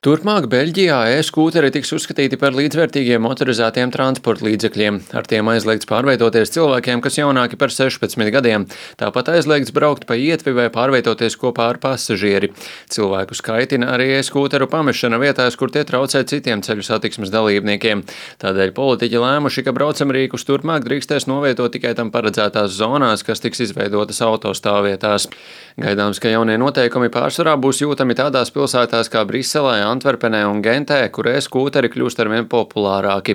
Turpmāk Beļģijā e-skūteri tiks uzskatīti par līdzvērtīgiem motorizētiem transporta līdzekļiem. Ar tiem aizliegts pārvietoties cilvēkiem, kas jaunāki par 16 gadiem. Tāpat aizliegts braukt pa ietvi vai pārvietoties kopā ar pasažieri. Cilvēku skaitina arī e-skūteru pamešana vietās, kur tie traucē citiem ceļu satiksmes dalībniekiem. Tādēļ politiķi lēmuši, ka braucamrīkus turpmāk drīkstēs novietot tikai tam paredzētās zonās, kas tiks izveidotas autostāvvietās. Gaidāms, ka jaunie noteikumi pārsvarā būs jūtami tādās pilsētās kā Briselē, Antverpenē un Gentē, kur e-skūteri kļūst arvien populārāki.